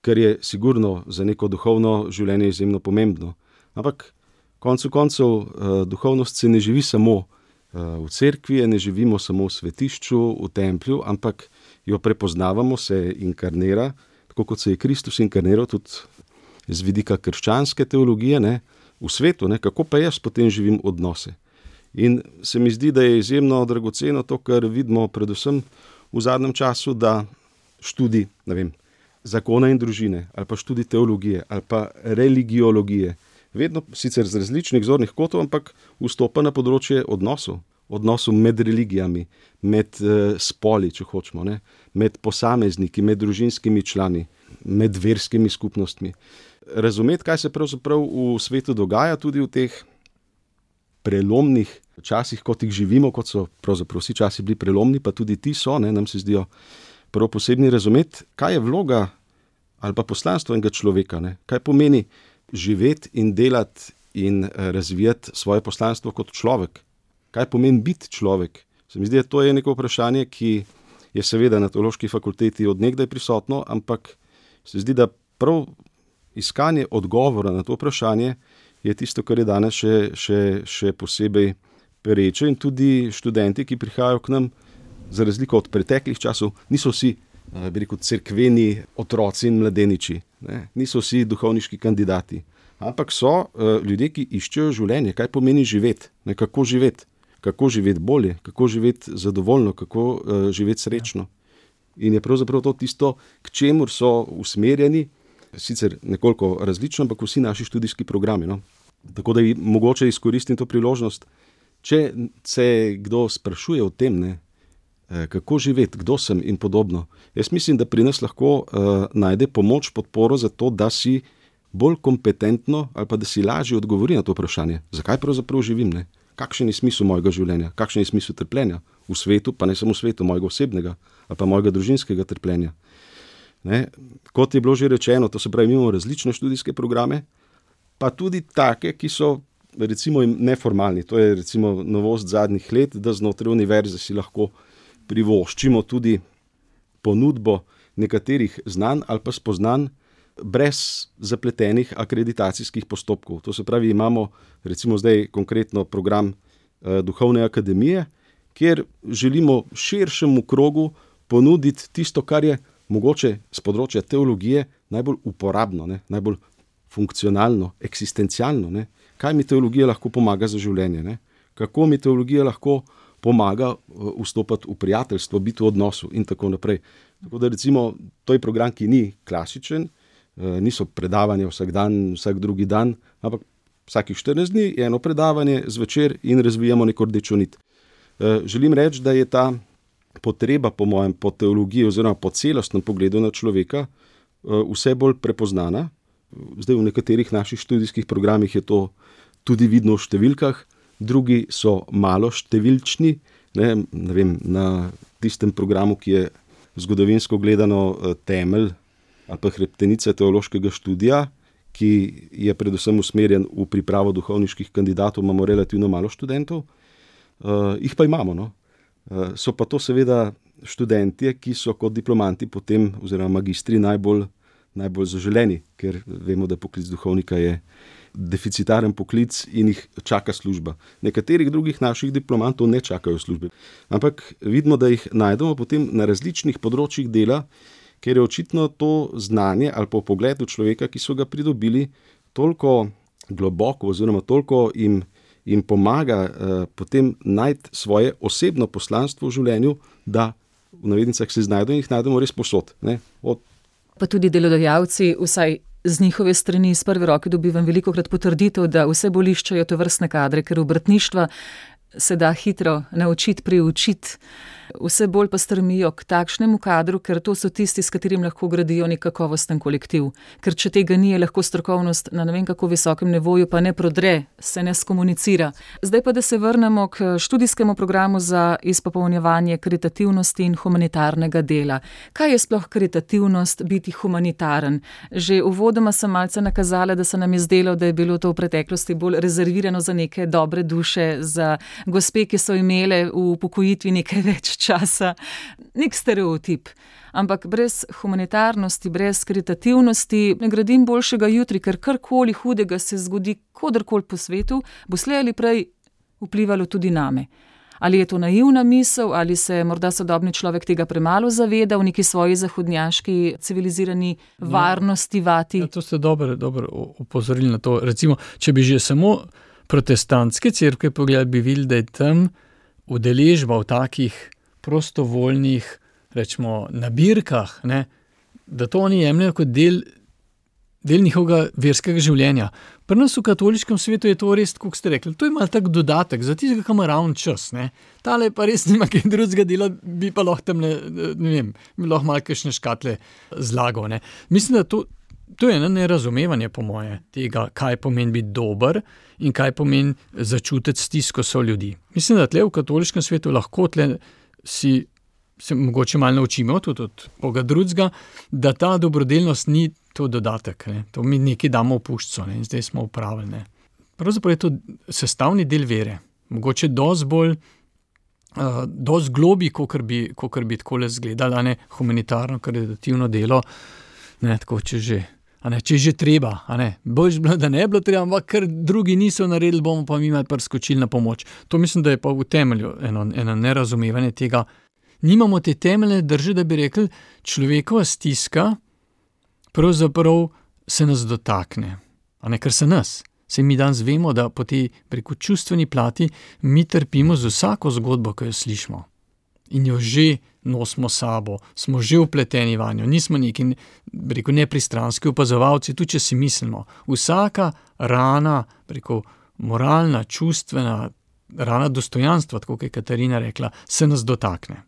kar je sigurno za neko duhovno življenje izjemno pomembno. Ampak koncu koncev duhovnost se ne živi samo v cerkvi, ne živimo samo v svetišču, v templju, ampak jo prepoznavamo, se inkarnira, tako kot se je Kristus inkarniral tudi z vidika krščanske teologije, ne, v svetu, ne, kako pa jaz potem živim odnose. In se mi zdi, da je izjemno dragoceno to, kar vidimo predvsem v zadnjem času, da študij, ne vem, zakona in družine, ali pa študij teologije, ali pa religiologije, vedno sicer z različnih zornih kotov, ampak vstopa na področje odnosov med religijami, med spoli, če hočemo, ne, med posamezniki, med družinskimi člani, med verskimi skupnostmi. Razumeti, kaj se pravzaprav v svetu dogaja, tudi v teh prelomnih časih, kot jih živimo, kot so pravzaprav vsi časi bili prelomni, pa tudi ti so, ne, nam se zdijo prav posebni, razumeti, kaj je vloga ali pa poslanstvo enega človeka, ne, kaj pomeni živeti in delati in razvijati svoje poslanstvo kot človek. Kaj pomeni biti človek? Se mi zdi, da to je neko vprašanje, ki je seveda na teološki fakulteti od nekdaj prisotno, ampak se zdi, da prav iskanje odgovora na to vprašanje je tisto, kar je danes še posebej pereče, in tudi študenti, ki prihajajo k nam, za razliko od preteklih časov, niso vsi, bi rekel, cerkveni otroci in mladeniči, ne? Niso vsi duhovniški kandidati, ampak so ljudje, ki iščejo življenje, kaj pomeni živeti, ne? Kako živeti bolje, kako živeti zadovoljno, kako živeti srečno. In je pravzaprav to tisto, k čemur so usmerjeni, sicer nekoliko različno, ampak vsi naši študijski programi, no? Tako da mogoče izkoristim to priložnost, če se kdo sprašuje o tem, ne, kako živeti, kdo sem in podobno. Jaz mislim, da pri nas lahko najde pomoč, podporo za to, da si bolj kompetentno ali pa da si lažje odgovori na to vprašanje. Zakaj pravzaprav živim, ne? Kakšen je smisel mojega življenja? Kakšen je smisel trpljenja? V svetu, pa ne samo v svetu, mojega osebnega ali pa mojega družinskega trpljenja. Ne? Kot je bilo že rečeno, to se pravi, imamo različne študijske programe, pa tudi take, ki so recimo neformalni. To je recimo novost zadnjih let, da znotraj univerze si lahko privoščimo tudi ponudbo nekaterih znanj ali pa spoznanj brez zapletenih akreditacijskih postopkov. To se pravi, imamo recimo zdaj konkretno program Duhovne akademije, kjer želimo širšemu krogu ponuditi tisto, kar je mogoče z področja teologije najbolj uporabno, ne? Najbolj funkcionalno, eksistencialno. Ne? Kaj mi teologija lahko pomaga za življenje? Ne? Kako mi teologija lahko pomaga vstopati v prijateljstvo, biti v odnosu in tako naprej. Tako da recimo, to je program, ki ni klasičen, niso predavanja vsak dan, vsak drugi dan, ampak vsakih 14 dni je eno predavanje zvečer in razvijamo neko rdečo nit. Želim reči, da je ta potreba po mojem, po teologiji oziroma po celostnem pogledu na človeka vse bolj prepoznana. Zdaj v nekaterih naših študijskih programih je to tudi vidno v številkah, drugi so malo številčni, ne vem, na tistem programu, ki je zgodovinsko gledano temelj ali pa hrbtenica teološkega študija, ki je predvsem usmerjen v pripravo duhovniških kandidatov, imamo relativno malo študentov, jih pa imamo, no. So pa to seveda študentje, ki so kot diplomanti potem oziroma magistri najbolj zaželeni, ker vemo, da poklic duhovnika je deficitaren poklic in jih čaka služba. Nekaterih drugih naših diplomantov ne čakajo službe. Ampak vidimo, da jih najdemo potem na različnih področjih dela, ker je očitno to znanje ali pa pogled v človeka, ki so ga pridobili, toliko globoko oziroma toliko jim pomaga potem najti svoje osebno poslanstvo v življenju, da v navednicah se znajdejo in jih najdemo res povsod, ne? Pa tudi delodajalci, vsaj z njihove strani iz prve roke dobivam velikokrat potrditev, da vse bolj iščejo tovrstne kadre, ker obrtništva se da hitro naučiti, priučiti, vse bolj pa stremijo k takšnemu kadru, ker to so tisti, s katerim lahko gradijo nek kakovosten kolektiv. Ker če tega ni, je lahko strokovnost na ne vem kako visokem nivoju, pa ne prodre, se ne skomunicira. Zdaj pa, da se vrnemo k študijskemu programu za izpopolnjevanje karitativnosti in humanitarnega dela. Kaj je sploh karitativnost, biti humanitaren? Že uvodoma sem malce nakazala, da se nam je zdelo, da je bilo to v preteklosti bolj rezervirano za neke dobre duše, za gospe, ki so imele v upokojitvi nekaj več časa, nek stereotip. Ampak brez humanitarnosti, brez karitativnosti ne gradim boljšega jutri, ker karkoli hudega se zgodi koderkoli po svetu, bo slej ali prej vplivalo tudi name. Ali je to naivna misel, ali se morda sodobni človek tega premalo zaveda v neki svoji zahodnjaški civilizirani varnosti vati? Ja, to ste dobro opozorili na to. Recimo, če bi že samo protestantske cerkve pogledali, bi videli, da je tam udeležba v takih prostovoljnih, rečemo, nabirkah, ne, da to oni jemljajo kot del njihovega verskega življenja. Pri nas v katoliškem svetu je to res, kako ste rekli, to je malo tak dodatek za tistega, ki ima ravno čas, ne. Tale pa res nima kaj drugega dela, bi pa lahko tam, ne vem, lahko malo kakšne škatle zlagal, ne. Mislim, da to je eno nerazumevanje po moje tega, kaj pomeni biti dober in kaj pomeni začutiti stisko ljudi. Mislim, da tle v katoliškem svetu lahko tle se mogoče malo naučimo tudi od koga drugega, da ta dobrodelnost ni to dodatek, ne. To mi nekaj damo v puščico, ne, in zdaj smo upravili, ne. Pravzaprav je to sestavni del vere. Mogoče dosti bolj, dosti globi, kakor bi takole izgledalo, ne, humanitarno, karitativno delo, ne, tako če že treba, boljš bilo, da ne bilo treba, ampak ker drugi niso naredili, bomo pa mi malo priskočili na pomoč. To mislim, da je pa v temelju eno nerazumevanje tega. Nimamo te temeljne drže, da bi rekli, človekova stiska pravzaprav se nas dotakne, ker se nas. Saj mi danes vemo, da po tej preko čustveni plati mi trpimo z vsako zgodbo, ki jo slišimo. In jo že nosimo sabo, smo že vpleteni vanjo, nismo neki, nepristranski opazovalci, tudi če si mislimo. Vsaka rana, moralna, čustvena, rana dostojanstva, tako kot je Katarina rekla, se nas dotakne.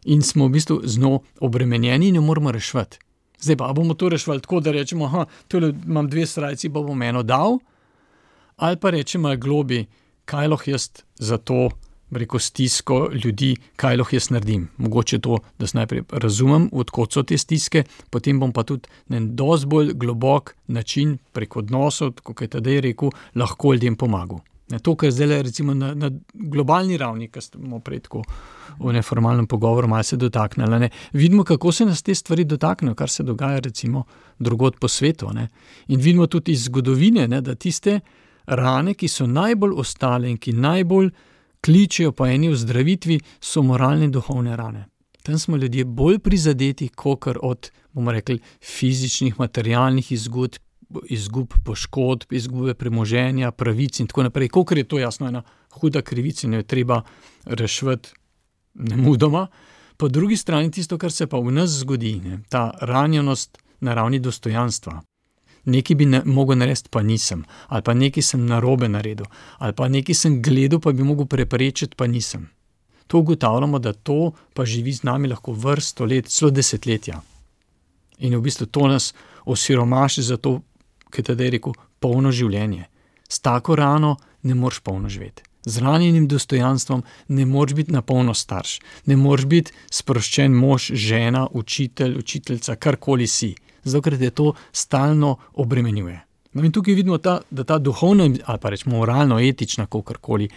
In smo v bistvu z njo obremenjeni in jo moramo reševati. Zdaj pa bomo to reševali tako, da rečemo, tole imam 2 srajci, pa bom eno dal, ali pa rečemo globi, kaj lahko jaz za to stisko ljudi, kaj lahko jaz naredim. Mogoče to, da se najprej razumem, odkot so te stiske, potem bom pa tudi na en dosti bolj globok način preko odnosov, kot je Tadej rekel, lahko ljudem pomagal. To, kar zdaj recimo na globalni ravni, kar smo prej tako v neformalnem pogovoru malo se dotaknili, ne. Vidimo, kako se nas te stvari dotaknejo, kar se dogaja recimo drugod po svetu, ne. In vidimo tudi iz zgodovine, ne, da tiste rane, ki so najbolj ostale in ki najbolj kličejo po eni ozdravitvi, so moralne in duhovne rane. Tam smo ljudje bolj prizadeti, kakor od, bomo rekli, fizičnih, materialnih izgub poškodb, izgube premoženja, pravic in tako naprej. Kakor je to jasno ena huda krivica in jo je treba reševati nemudoma. Po drugi strani tisto, kar se pa v nas zgodi, ne, ta ranjenost na ravni dostojanstva. Nekaj bi mogel narediti, pa nisem. Ali pa nekaj sem narobe naredil. Ali pa nekaj sem gledal, pa bi mogel preprečiti, pa nisem. To ugotavljamo, da to pa živi z nami lahko vrsto let, celo desetletja. In v bistvu to nas osiromaši za to, kaj tedaj je rekel, polno življenje. S tako rano ne moreš polno živeti. Z ranjenim dostojanstvom ne moreš biti na polno starš. Ne moreš biti sproščen mož, žena, učitelj, učiteljica, karkoli si. Zato, ker te to stalno obremenjuje. No in tukaj vidimo, da ta duhovna, ali pa rečemo moralno, etična, kakorkoli,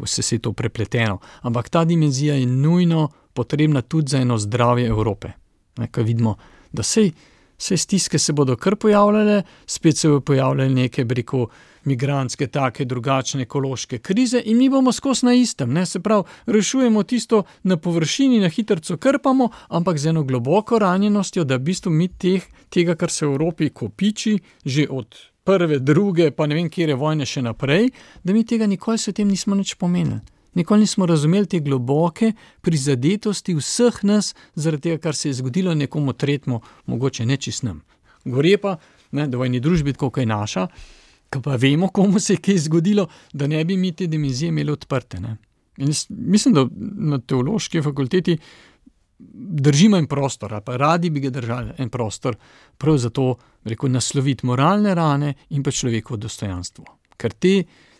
vse se je to prepleteno. Ampak ta dimenzija je nujno potrebna tudi za eno zdravje Evrope. Ko vidimo, da vse stiske se bodo kar pojavljale, spet se bodo pojavljale neke, migrantske, take, drugačne ekološke krize in mi bomo skozi na istem. Se pravi, rešujemo tisto na površini, na hitrco krpamo, ampak z eno globoko ranjenostjo, da v bistvu mi tega, kar se v Evropi kopiči, že od prve, druge, pa ne vem, kjere vojne še naprej, da mi tega nikoli se tem nismo nič pomenili. Nikoli nismo razumeli te globoke prizadetosti vseh nas, zaradi tega, kar se je zgodilo nekomu tretjemu, mogoče nečist nam. Gore pa, da v eni družbi, tako kot je naša, ko pa vemo, komu se je kaj zgodilo, da ne bi mi te dimenzije imeli odprte. In mislim, da na teološki fakulteti držimo en prostor, pa radi bi ga držali en prostor, prav zato, nasloviti moralne rane in pa človekovo dostojanstvo. Ker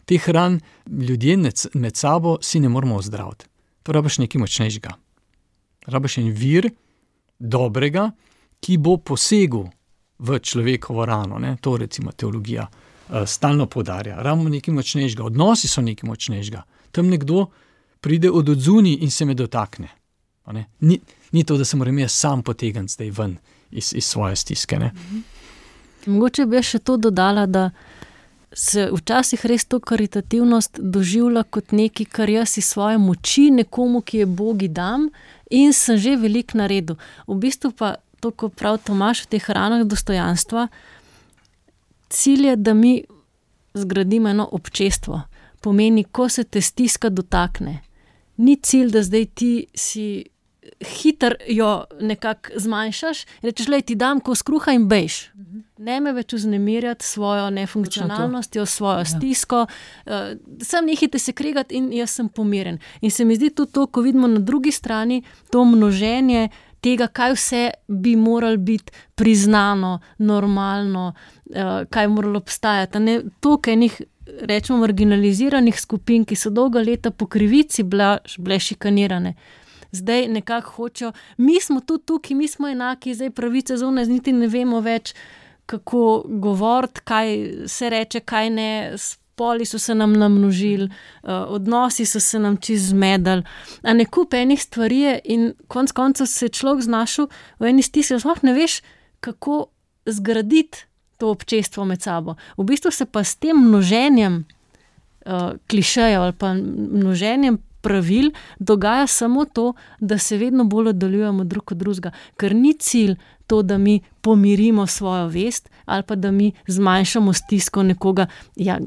teh ran ljudje med sabo si ne moramo ozdraviti. To rabiš nekaj močnejšega. Rabiš en vir dobrega, ki bo posegel v človekovo rano. To recimo teologija stalno poudarja. Rabimo nekaj močnejšega, odnosi so nekaj močnejšega. Tam nekdo pride od odzuni in se me dotakne. Ni to, da se moram jaz sam potegniti zdaj ven iz svoje stiske. Mogoče bi še to dodala, da se včasih res to karitativnost doživlja kot nekaj, kar jaz iz svoje moči nekomu, ki je Bogi dam in sem že veliko naredil. V bistvu pa to, ko prav Tomaž v teh ranah dostojanstva, cilj je, da mi zgradimo eno občestvo. Pomeni, ko se te stiska dotakne. Ni cilj, da zdaj ti si hitro jo nekako zmanjšaš in rečeš, ti dam kos kruha in bejš. Ne me več vznemirjati svojo nefunkcionalnostjo, svojo stisko. Sam nehite se kregati in jaz sem pomiren. In se mi zdi tudi to, ko vidimo na drugi strani to množenje tega, kaj vse bi moralo biti priznano, normalno, kaj moralo obstajati. Toliko enih, rečemo, marginaliziranih skupin, ki so dolga leta po krivici bile šikanirane. Zdaj nekako hočejo, mi smo tudi tukaj, mi smo enaki, zdaj pravice zunaj, niti ne vemo več, kako govoriti, kaj se reče, kaj ne, spoli so se nam namnožili, odnosi so se nam čisto zmedali. A ne kup enih stvari je in konec koncev se človek znašel v eni stiski, sploh ne veš, kako zgraditi to občestvo med sabo. V bistvu se pa s tem množenjem klišejev ali pa množenjem pravil dogaja samo to, da se vedno bolj oddaljujemo drug od drugega, ker ni cilj to, da mi pomirimo svojo vest ali pa da mi zmanjšamo stisko nekoga,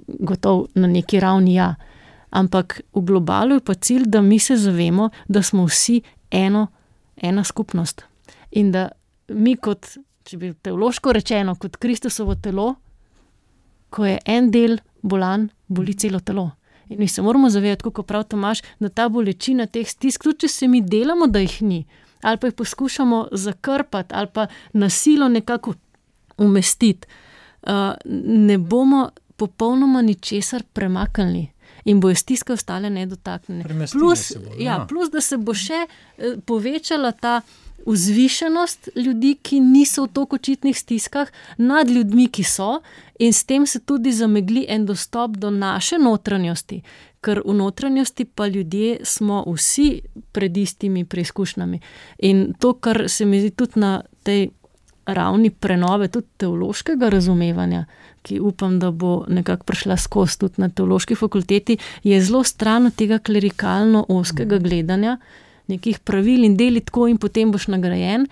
gotovo na neki ravni ampak v globalu je pa cilj, da mi se zavemo, da smo vsi ena skupnost in da mi kot, če bi teološko rečeno, kot Kristusovo telo, ko je en del bolan, boli celo telo. In mi se moramo zavedati, kako prav Tomaž, da ta bolečina teh stisk, tudi če se mi delamo, da jih ni, ali pa jih poskušamo zakrpati, ali pa na silo nekako umestiti, ne bomo popolnoma ničesar premaknili in bojo stiske ostale nedotaknjene. Plus, da se bo še povečala ta vzvišenost ljudi, ki niso v toliko očitnih stiskah, nad ljudmi, ki so, in s tem se tudi zamegli en dostop do naše notranjosti, ker v notranjosti pa ljudje smo vsi pred istimi preizkušnjami. In to, kar se mi zdi tudi na tej ravni prenove, tudi teološkega razumevanja, ki upam, da bo nekako prišla skozi tudi na teološki fakulteti, je zelo stran od tega klerikalno ozkega gledanja, nekih pravil in deli tako in potem boš nagrajen,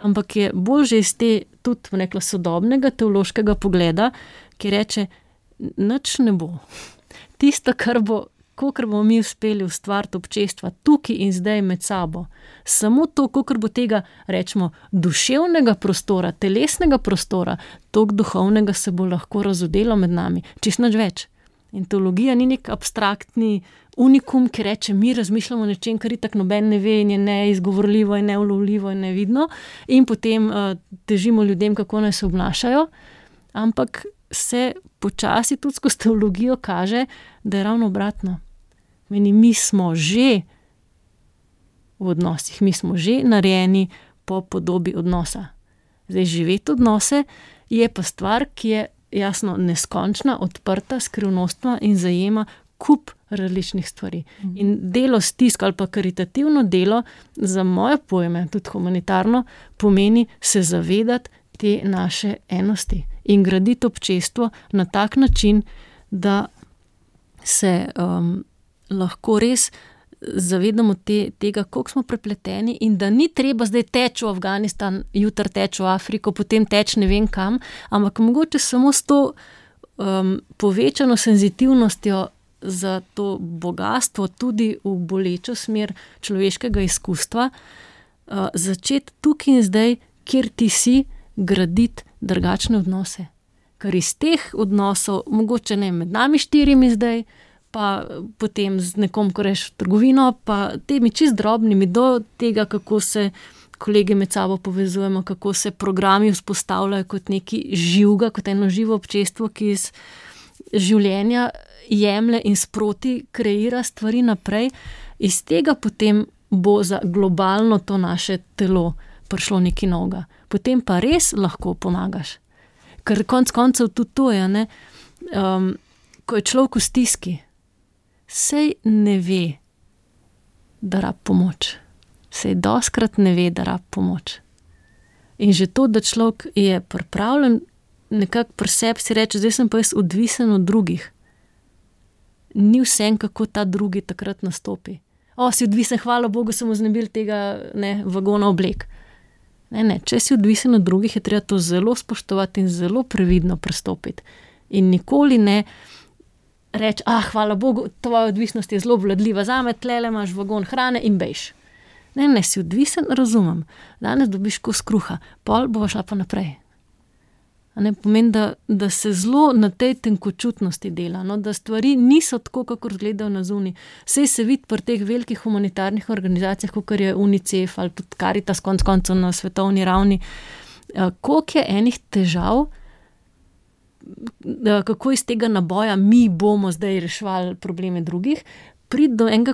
ampak je bolj že iz te tudi nekla sodobnega teološkega pogleda, ki reče, nič ne bo. Tisto, kar bomo mi uspeli ustvariti občestva tukaj in zdaj med sabo, samo to, kolikor bo tega, rečemo, duševnega prostora, telesnega prostora, toliko duhovnega se bo lahko razodelo med nami, čisto nič več. In teologija ni nek abstraktni unikum, ki reče, mi razmišljamo o nečem, kar itak noben ne ve in je neizgovorljivo in neulovljivo in nevidno, in potem težimo ljudem, kako naj se obnašajo, ampak se počasi tudi skozi teologijo kaže, da je ravno obratno. Mi smo že v odnosih, mi smo že narejeni po podobi odnosa. Zdaj, živeti odnose je pa stvar, ki je jasno neskončna, odprta, skrivnostna in zajema kup različnih stvari. In delo s tisk ali pa karitativno delo, za moje pojme, tudi humanitarno, pomeni se zavedati te naše enosti in graditi občestvo na tak način, da se lahko res zavedamo tega, koliko smo prepleteni in da ni treba zdaj teči v Afganistan, jutri teči v Afriko, potem teči ne vem kam, ampak mogoče samo s to povečano senzitivnostjo za to bogatstvo, tudi v bolečo smer človeškega izkustva, začeti tukaj in zdaj, kjer ti si, graditi drugačne odnose. Ker iz teh odnosov, mogoče ne med nami 4 zdaj, pa potem z nekom, ko reš v trgovino, pa temi čist drobnimi do tega, kako se kolegi med sabo povezujemo, kako se programi vzpostavljajo kot neki živga, kot eno živo občestvo, ki iz življenja jemlje in sproti kreira stvari naprej. Iz tega potem bo za globalno to naše telo prišlo nekaj novega. Potem pa res lahko pomagaš. Ker konec koncev tudi to je, ne? Ko je človek v stiski, sej ne ve, da rab pomoč. Sej doskrat ne ve, da rab pomoč. In že to, da človek je pripravljen nekako pri sebi si reči, zdaj sem pa jaz odvisen od drugih. Ni vsem, kako ta drugi takrat nastopi. Si odvisen, hvala Bogu, sem vznebil tega vagona oblek. Ne, če si odvisen od drugih, je treba to zelo spoštovati in zelo previdno pristopiti. In nikoli ne reči, hvala Bogu, tvoja odvisnost je zelo vladljiva zame, tlele imaš vagon hrane in bejš. Ne, si odvisen, razumem. Danes dobiš kos kruha, pol bova šla pa naprej. Pomeni, da se zelo na tej tenkočutnosti dela, da stvari niso tako, kakor izgledajo na zunaj. Sej se vidi pri teh velikih humanitarnih organizacijah, kakor je UNICEF ali tudi Caritas konec koncev na svetovni ravni, koliko je enih težav, kako iz tega naboja mi bomo zdaj reševali probleme drugih, priti do enega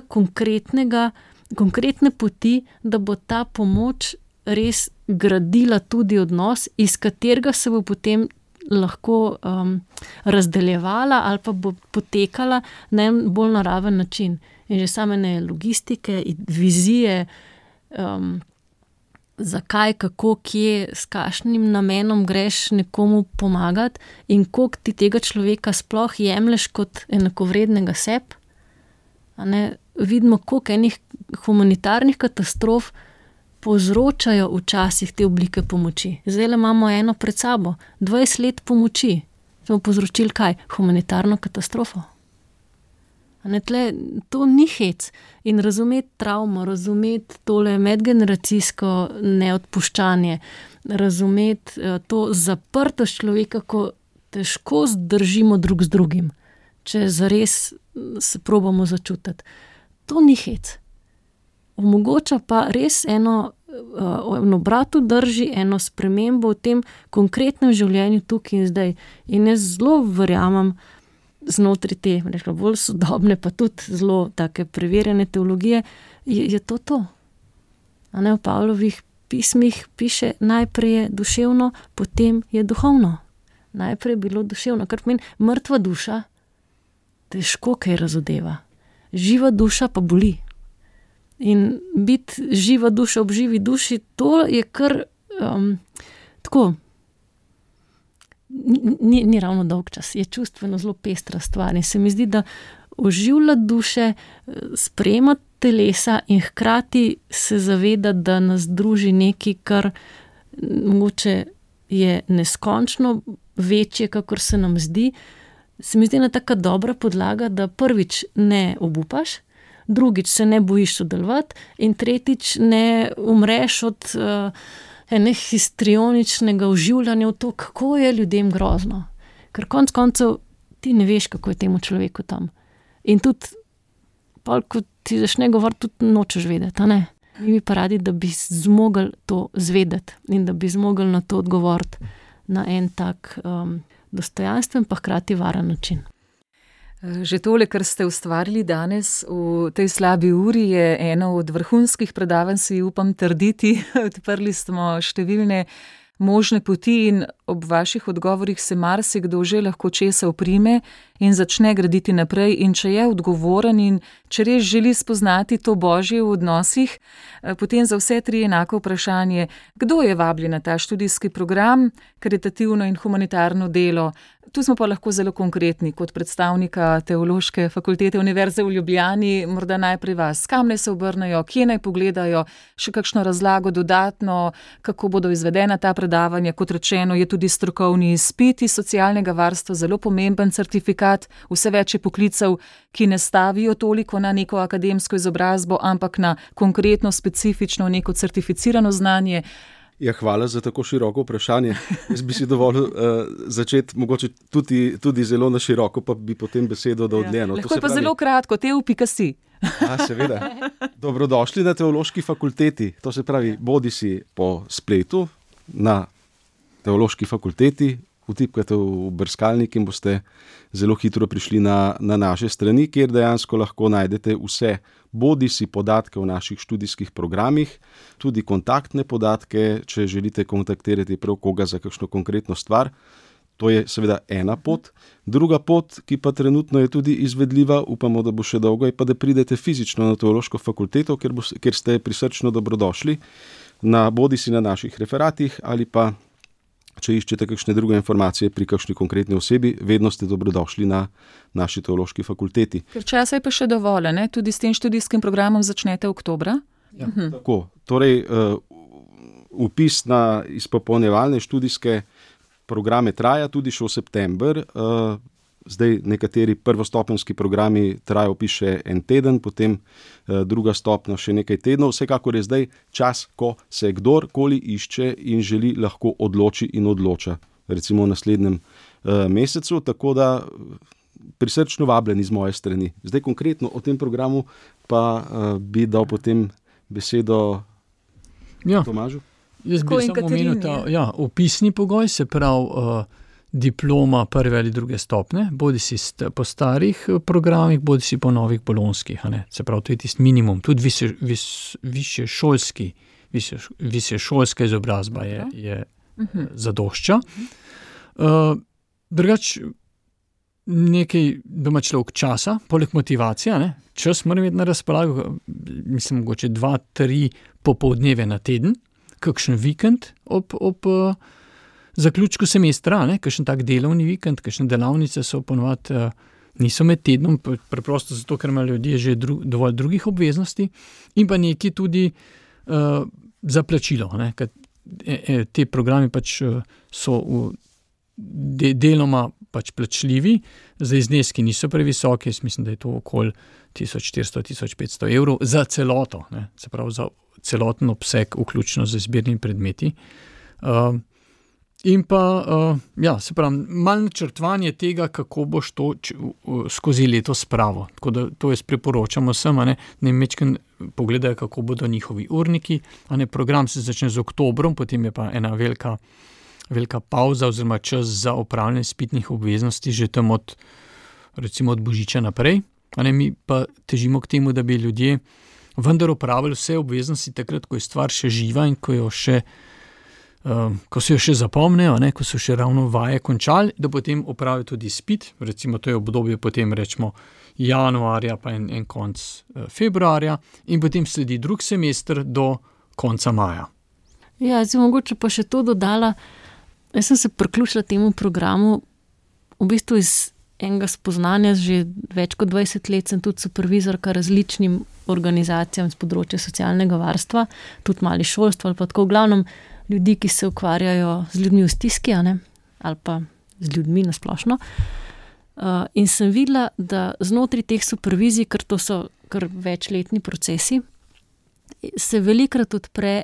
konkretne poti, da bo ta pomoč res gradila tudi odnos, iz katerega se bo potem lahko razdeljevala ali pa bo potekala na en bolj naraven način. In že same logistike, vizije, zakaj, kako, kje, s kakšnim namenom greš nekomu pomagati in koliko ti tega človeka sploh jemlješ kot enakovrednega sebi. Vidimo, koliko enih humanitarnih katastrof povzročajo včasih te oblike pomoči. Zdaj imamo eno pred sabo, 20 let pomoči. Smo povzročili kaj? Humanitarno katastrofo. To ni hec. In razumeti travmo, razumeti tole medgeneracijsko neodpuščanje, razumeti to zaprtost človeka, ko težko zdržimo drug z drugim, če zares se probamo začutiti. To ni hec. Omogoča pa res eno obratu drži, eno spremembo v tem konkretnem življenju tukaj in zdaj. In jaz zelo verjamem znotraj te, bolj sodobne, pa tudi zelo take preverjene teologije, je to. V Pavlovih pismih piše, najprej je duševno, potem je duhovno. Najprej je bilo duševno, kar pomeni mrtva duša, težko kaj razodeva. Živa duša pa boli. In biti živa duša ob živi duši, to je kar tako, ni ravno dolg čas, je čustveno zelo pestra stvar. In se mi zdi, da oživlja duše, sprejema telesa in hkrati se zaveda, da nas druži nekaj, kar mogoče je neskončno večje, kakor se nam zdi. Se mi zdi ena taka dobra podlaga, da prvič ne obupaš, drugič se ne bojiš sodelovati in tretjič ne umreš od histrioničnega oživljanja v to, kako je ljudem grozno. Ker konec koncev ti ne veš, kako je temu človeku tam. In tudi, ko ti začne govoriti, tudi nočeš vedeti, a ne? Mi bi pa radi, da bi zmogli to zvedeti in da bi zmogli na to odgovoriti na en tak dostojanstven pa hkrati varen način. Že tole, kar ste ustvarili danes v tej slabi uri, je eno od vrhunskih predavanj, si upam trditi. Odprli smo številne možne poti in ob vaših odgovorih se marsikdo že lahko česa oprime in začne graditi naprej. In če je odgovoren in če res želi spoznati to Božje v odnosih, potem za vse tri enako vprašanje, kdo je vabljen na ta študijski program, karitativno in humanitarno delo. Tu smo pa lahko zelo konkretni kot predstavnika Teološke fakultete Univerze v Ljubljani, morda najprej vas, kam naj se obrnejo, kje naj pogledajo, še kakšno razlago dodatno, kako bodo izvedena ta predavanja. Kot rečeno, je tudi strokovni izpit iz socialnega varstva zelo pomemben certifikat, vse več je poklicev, ki ne stavijo toliko na neko akademsko izobrazbo, ampak na konkretno, specifično neko certificirano znanje. Ja, hvala za tako široko vprašanje. Jaz bi si dovolil začeti mogoče tudi zelo na široko, pa bi potem besedo dal dlje. Lahko je pa zelo kratko, teo.si. Seveda. Dobrodošli na Teološki fakulteti. To se pravi, bodi si po spletu na Teološki fakulteti, vtipkate v brskalnik in boste zelo hitro prišli na naše strani, kjer dejansko lahko najdete vse, bodi si podatke o naših študijskih programih, tudi kontaktne podatke, če želite kontaktirati prav koga za kakšno konkretno stvar. To je seveda ena pot. Druga pot, ki pa trenutno je tudi izvedljiva, upamo, da bo še dolgo, je pa, da pridete fizično na Teološko fakulteto, kjer ste prisrčno dobrodošli, bodi si na naših referatih ali pa če iščete kakšne druge informacije pri kakšni konkretni osebi, vedno ste dobrodošli na naši Teološki fakulteti. Ker časa je pa še dovolj, ne? Tudi s tem študijskim programom začnete oktobra? Ja, tako. Torej, vpis na izpopolnjevalne študijske programe traja tudi še v september. Zdaj nekateri prvostopenjski programi trajajo še en teden, potem druga stopnja še nekaj tednov. Vsekakor je zdaj čas, ko se kdorkoli išče in želi, lahko odloči in odloča, recimo v naslednjem mesecu, tako da prisrčno vabljeni z moje strani. Zdaj konkretno o tem programu pa bi dal potem besedo Tomažu. Jaz bi samo omenil ta vpisni pogoj, se pravi diploma prve ali druge stopnje, bodi si po starih programih, bodi si po novih bolonskih. Se pravi, to je tisti minimum. Tudi višješolska izobrazba je zadošča. Drugač, nekaj doma človek časa, poleg motivacije, čas mora imeti na razpolago, mislim, mogoče 2-3 popoldneve na teden, kakšen vikend ob zaključku semestra, kakšen tak delovni vikend, kakšne delavnice so ponovadi niso med tednom, preprosto zato, ker imajo ljudje že dovolj drugih obveznosti, in pa nekaj tudi za plačilo, ker te programi pač so deloma pač plačljivi, za zneski niso previsoki, jaz mislim, da je to okoli 1400-1500 evrov za celoto, se pravi za celoten obseg, vključno z izbirnimi predmeti. In pa, se pravi, malo načrtovanje tega, kako boš to skozi leto spravo. Tako da to jaz priporočam vsem, ne mečken pogledajo, kako bodo njihovi urniki. Program se začne z oktobrom, potem je pa ena velika pauza oziroma čas za opravljanje izpitnih obveznosti že tam recimo od Božiča naprej. Mi pa težimo k temu, da bi ljudje vendar opravili vse obveznosti takrat, ko je stvar še živa in ko se jo še zapomnejo, ko so še ravno vaje končali, da potem opravijo tudi izpit, recimo to je obdobje potem rečemo januarja pa en konc februarja in potem sledi drug semester do konca maja. Ja, zdaj mogoče pa še to dodala, jaz sem se priključila temu programu v bistvu iz enega spoznanja, že več kot 20 let sem tudi supervizorka različnim organizacijam z področja socialnega varstva, tudi mali šolstva ali pa tako v glavnem ljudi, ki se ukvarjajo z ljudmi v stiski, ali pa z ljudmi na splošno. In sem videla, da znotraj teh supervizij, ker to so kar večletni procesi, se velikrat odpre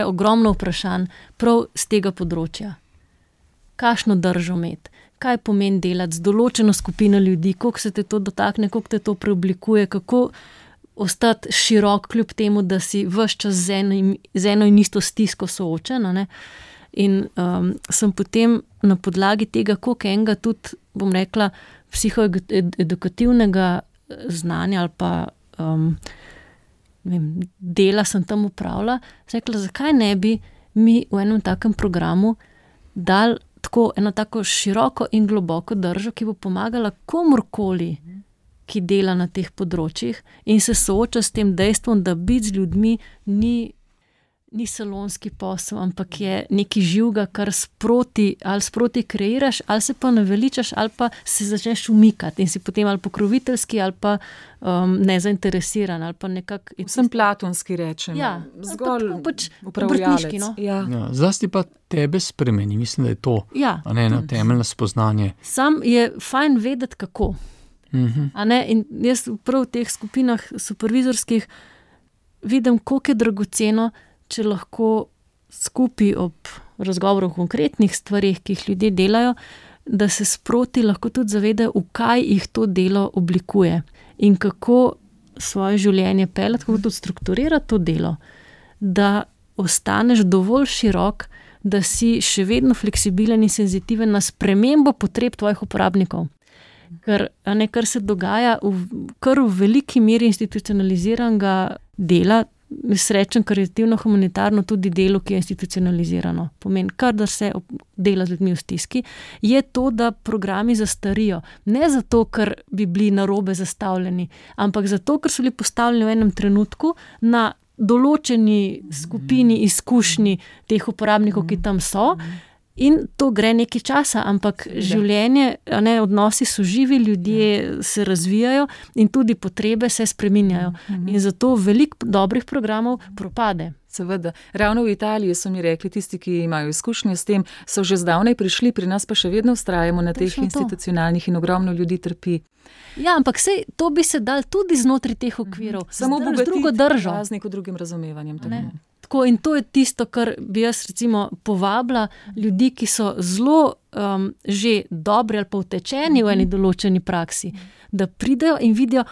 ogromno vprašanj prav z tega področja. Kakšno držo imeti, kaj pomeni delati z določeno skupino ljudi, koliko se te to dotakne, koliko te to preoblikuje, kako ostati širok kljub temu, da si ves čas z eno in isto stisko soočen. Ne? In sem potem na podlagi tega, koliko enega tudi, bom rekla, psihoedukativnega znanja ali pa dela sem tam upravila, sem rekla, zakaj ne bi mi v enem takem programu dali tako eno tako široko in globoko držo, ki bo pomagala komorkoli, ki dela na teh področjih in se sooča s tem dejstvom, da biti z ljudmi ni salonski posel, ampak je nekaj živega, kar sproti kreiraš, ali se pa naveličaš, ali pa se začneš umikati in si potem ali pokroviteljski, ali pa nezainteresiran, ali pa nekako... Vsem platonski rečem. Ja, zgolj obrtniški, no. Ja. Ja, zlasti pa tebe spremeni, mislim, da je to eno temeljno spoznanje. Sam je fajn vedeti, kako. A ne? In jaz prav v teh skupinah supervizorskih vidim, koliko je dragoceno, če lahko skupaj ob razgovoru o konkretnih stvarih, ki jih ljudje delajo, da se sproti lahko tudi zavedajo, v kaj jih to delo oblikuje in kako svoje življenje peljati, kako tudi strukturirati to delo, da ostaneš dovolj širok, da si še vedno fleksibilen in senzitiven na spremembo potreb tvojih uporabnikov. Ker se dogaja kar v veliki meri institucionaliziranega dela, srečen karitativno-humanitarno tudi delo, ki je institucionalizirano. Pomeni, kar da se dela z ljudmi v stiski, je to, da programi zastarijo. Ne zato, ker bi bili narobe zastavljeni, ampak zato, ker so bili postavljeni v enem trenutku na določeni skupini izkušnji teh uporabnikov, ki tam so. In to gre nekaj časa, ampak življenje, odnosi so živi, ljudje se razvijajo in tudi potrebe se spreminjajo. In zato veliko dobrih programov propade. Seveda. Ravno v Italiji so mi rekli, tisti, ki imajo izkušnje s tem, so že zdavnaj prišli, pri nas pa še vedno vztrajamo na teh institucionalnih in ogromno ljudi trpi. Ja, ampak sej, to bi se dal tudi znotraj teh okvirov. Samo drugo držo. Z neko drugim razumevanjem. In to je tisto, kar bi jaz recimo povabila ljudi, ki so zelo že dobri ali pa utečeni v eni določeni praksi, da pridejo in vidijo,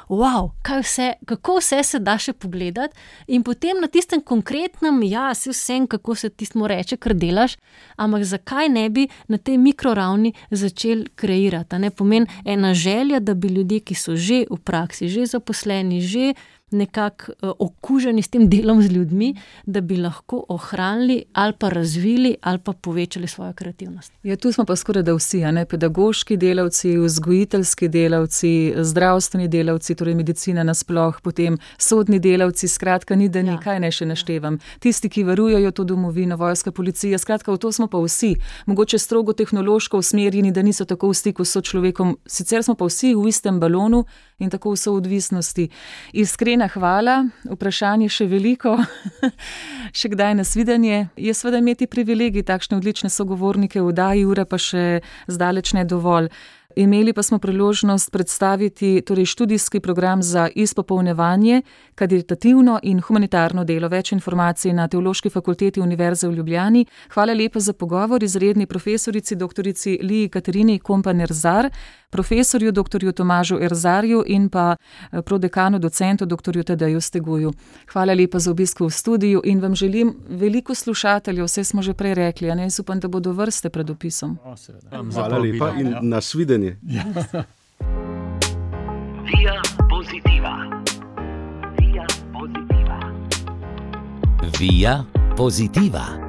kako vse se da še pogledati in potem na tistem konkretnem, si vsem, kako se tistemu reče, kar delaš, ampak zakaj ne bi na tej mikroravni začeli kreirati. Pomeni ena želja, da bi ljudje, ki so že v praksi, že zaposleni, že nekako okuženi s tem delom z ljudmi, da bi lahko ohranili ali pa razvili ali pa povečali svojo kreativnost. Ja, tu smo pa skoraj da vsi, pedagoški delavci, vzgojiteljski delavci, zdravstveni delavci, torej medicina nasploh, potem sodni delavci, skratka ni da nekaj, ne še naštevam. Tisti, ki varujejo to domovino, vojska, policija, skratka v to smo pa vsi. Mogoče strogo tehnološko usmerjeni, da niso tako v stiku s človekom, sicer smo pa vsi v istem balonu in tako v soodvisnosti. Iskrena hvala, vprašanje še veliko, še kdaj nasvidenje. Je seveda imeti privilegij takšne odlične sogovornike v oddaji, ura pa še zdaleč ne dovolj. Imeli pa smo priložnost predstaviti študijski program za izpopolnjevanje, karitativno in humanitarno delo. Več informacij na Teološki fakulteti Univerze v Ljubljani. Hvala lepa za pogovor izredni profesorici doktorici Liji Katarini Kompan-Erzar, profesorju doktorju Tomažu Erzarju in pa prodekanu docentu doktorju Tadeju Steguju. Hvala lepa za obisk v studiu in vam želim veliko slušateljev, vse smo že prej rekli, jaz upam, da bodo vrste pred opisom. Hvala lepa in nasvidenje. Via Positiva. Via Positiva. Via Positiva.